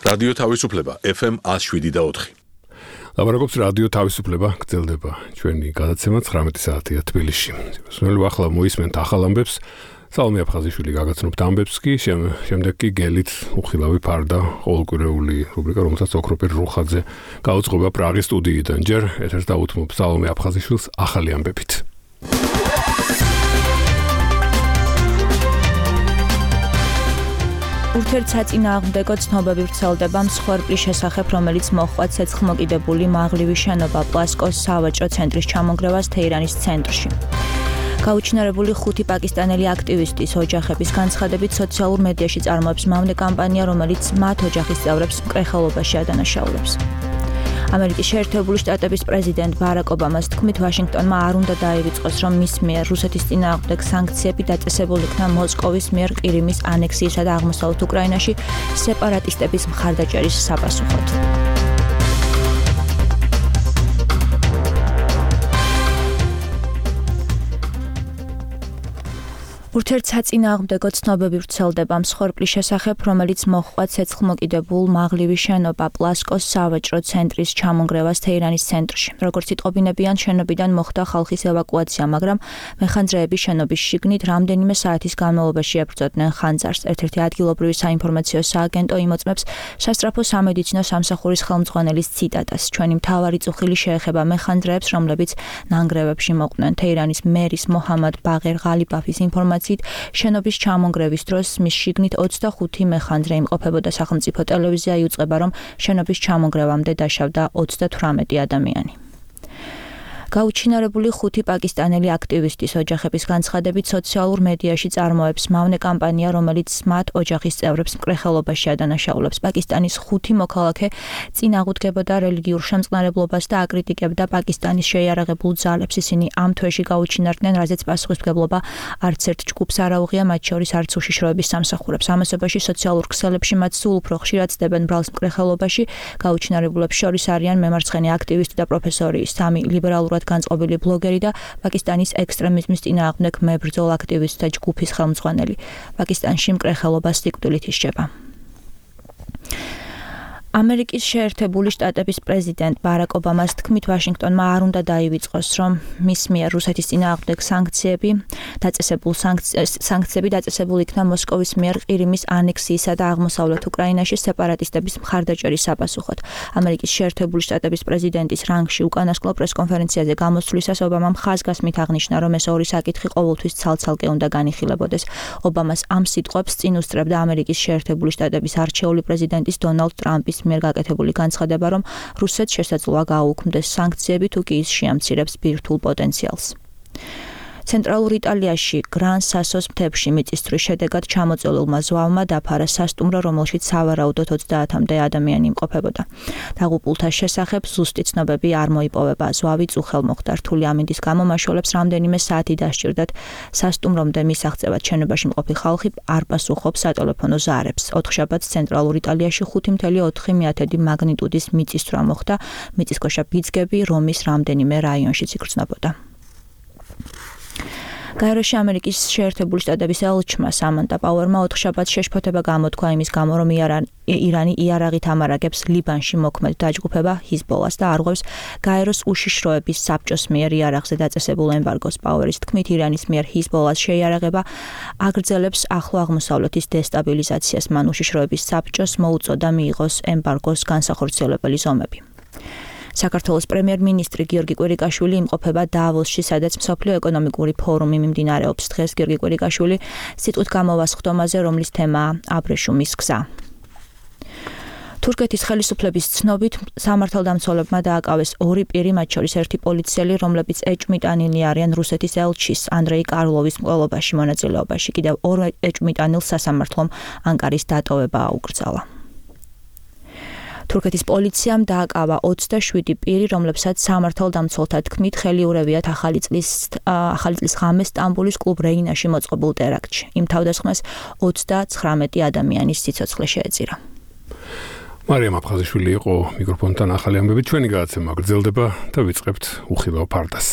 რადიო თავისუფლება FM 107.4. ლაბარაკობს რადიო თავისუფლება, გრძელდება ჩვენი გადაცემა 19 საათია თბილისში. სულ ახლა მოისმენთ ახალ ამბებს. სალომე აფხაზიშვილი გაგაცნობთ ამბებს კი, შემდეგ კი გელით უხილავი ფარდა ყოველკვირეული რუბრიკა, რომელსაც ოქროპერ რუხაძე გაუძღვება პრაღის სტუდიიდან. ჯერ ეთერს დაუთმობ სალომე აფხაზიშვილს ახალი ამბებით. ურთიერთსაწინააღმდეგო ცნობები ვრცელდება მსხვერპლის შესახებ, რომელიც მოჰყვა ცეცხლმოკიდებული მაღლივი შენობა პლასკოს სავაჭრო ცენტრის ჩამონგრევას თეირანის ცენტრში. გაუჩინარებული 5 პაკისტანელი აქტივისტის ოჯახების განცხადებით სოციალურ მედიაში წარმოებს მავნე კამპანია, რომელიც მათ ოჯახის წევრებს მკრეხელობაში ადანაშაულებს. ამერიკის შეერთებული შტატების პრეზიდენტ ბარაკ ობამას თქმით, ვაშინგტონმა არ უნდა დაივიწყოს, რომ მის მიერ რუსეთის წინააღმდეგ სანქციები დაწესებულ იქნა მოსკოვის მიერ ყირიმის ანექსიისა და აღმოსავლეთ უკრაინაში სეპარატისტების მხარდაჭერის საპასუხოდ. ურთიერთსაწინააღმდეგო ცნობები ვრცელდება მსხვერპლის შესახებ, რომელიც მოჰყვა ცეცხლმოკიდებულ მაღლივი შენობა პლასკოს სავაჭრო ცენტრის ჩამონგრევას თეირანის ცენტრში. როგორც იტყობინებიან, შენობიდან მოხდა ხალხის ევაკუაცია, მაგრამ მეხანძრეები შენობის შიგნით რამდენიმე საათის განმავლობაში ებრძოდნენ ხანძარს. ერთ-ერთი ადგილობრივი საინფორმაციო სააგენტო იმოწმებს სასწრაფო სამედიცინო სამსახურის ხელმძღვანელის ციტატას. ჩვენი მთავარი წუხილი შეეხება მეხანძრეებს, რომლებიც ნანგრევებში მოყვნენ. თეირანის მერის მოჰამად ბაღერ ღალიბაფის ინფორმაციით შენობის ჩამონგრევის დროს მის შიგნით 25 მეხანძრე იმყოფებოდა. სახელმწიფო ტელევიზია იუწყება, რომ შენობის ჩამონგრევამდე დაშავდა 38 ადამიანი. გაუჩინარებული 5 პაკისტანელი აქტივისტის ოჯახების განცხადებით სოციალურ მედიაში წარმოებს მავნე კამპანია, რომელიც მათ ოჯახის წევრებს მკრეხელობაში ადანაშაულებს. პაკისტანის 5 მოქალაქე წინააღმდეგებოდა რელიგიურ შემწყნარებლობას და აკრიტიკებდა პაკისტანის შეიარაღებულ ძალებს. ისინი ამ თვეში გაუჩინარდნენ, რაზეც პასუხისმგებლობა არც ერთ ჯგუფს არ აუღია, მათ შორის არც უშიშროების სამსახურებს. ამასობაში სოციალურ ქსელებში მათ სულ უფრო ხშირად ცდებენ ბრალს მკრეხელობაში. გაუჩინარებულებს შორის არიან მემარცხენე აქტივისტი და პროფესორი, 3 ლიბერალურად განწყობილი ბლოგერი და პაკისტანის ექსტრემიზმის წინააღმდეგ მებრძოლ აქტივისტთა ჯგუფის ხელმძღვანელი. პაკისტანში მკრეხელობა სიკვდილით ისჯება. ამერიკის შეერთებული შტატების პრეზიდენტ ბარაკ ობამას თქმით, ვაშინგტონმა არ უნდა დაივიწყოს, რომ მის მიერ რუსეთის წინააღმდეგ სანქციები დაწესებულ იქნა მოსკოვის მიერ ყირიმის ანექსიისა და აღმოსავლეთ უკრაინაში სეპარატისტების მხარდაჭერის საპასუხოდ. ამერიკის შეერთებული შტატების პრეზიდენტის რანგში უკანასკნელ პრესკონფერენციაზე გამოსვლისას ობამამ ხაზგასმით აღნიშნა, რომ ეს ორი საკითხი ყოველთვის ცალ-ცალკე უნდა განიხილებოდეს. ობამას ამ სიტყვებს წინ უსწრებდა ამერიკის შეერთებული შტატების არჩეული პრეზიდენტის დონალდ ტრამპის მიერ გაკეთებული განცხადება, რომ რუსეთს შესაძლოა გააუქმდეს სანქციები, თუ კი ის შეამცირებს ბირთვულ პოტენციალს. ცენტრალურ იტალიაში გრან სასოს მთებში მიწისძვრის შედეგად ჩამოწოლილმა ზვავმა დაფარა სასტუმრო, რომელშიც სავარაუდოდ 30-მდე ადამიანი იმყოფებოდა. დაღუპულთა შესახებ ზუსტი ცნობები არ მოიპოვება. ზვავი წუხელ მოხდა. რთული ამინდის გამო მაშველებს რამდენიმე საათი დასჭირდათ სასტუმრომდე მისაღწევად. შენობაში მყოფი ხალხი არ პასუხობს სატელეფონო ზარებს. 4 შაბათს ცენტრალურ იტალიაში 5.4 მაგნიტუდის მიწისძვრა მოხდა. მიწისქვეშა ბიძგები რომის რამდენიმე რაიონშიც იგრძნობოდა. გაეროში ამერიკის შეერთებული შტატების ელჩმა სამანტა პაუერმა 4 შაბათს შეშფოთება გამოთქვა იმის გამო, რომ ირანი იარაღით ამარაგებს ლიბანში მოქმედ დაჯგუფება ჰიზბოლას და არღვევს გაეროს უშიშროების საბჭოს მიერ იარაღზე დაწესებულ ემბარგოს. პაუერის თქმით, ირანის მიერ ჰიზბოლას შეიარაღება აგრძელებს ახლო აღმოსავლეთის დესტაბილიზაციას. მან უშიშროების საბჭოს მოუწოდა მიიღოს ემბარგოს განსახორციელებელი ზომები. საქართველოს პრემიერ-მინისტრი გიორგი კვირიკაშვილი იმყოფება დავოსში, სადაც მსოფლიო ეკონომიკური ფორუმი მიმდინარეობს. დღეს გიორგი კვირიკაშვილი სიტყვით გამოვა სხდომაზე, რომლის თემაა აბრეშუმის გზა. თურქეთის ხელისუფლების ცნობით სამართალდამცველებმა დააკავეს 2 პირი, მათ შორის ერთი პოლიციელი, რომლებიც ეჭვმიტანილი არიან რუსეთის ელჩის ანდრეი კარლოვის მკვლელობაში მონაწილეობაში. კიდევ 2 ეჭვმიტანილს სასამართლომ ანკარის დატოვება აუკრძალა. თურქეთის პოლიციამ დააკავა 27 პირი, რომლებსაც სამართალდამცველთა თქმით ხელი ურევიათ ახალი წლის ღამეს სტამბოლის კლუბ რეინაში მოწყობილ ტერაქტში. იმ თავდასხმას 39 ადამიანის სიცოცხლე შეეწირა. მარიამ აფხაზიშვილი იყო მიკროფონთან ახალი ამბებით. ჩვენი გადაცემა გრძელდება და ვიწყებთ უხილავ ფარდას.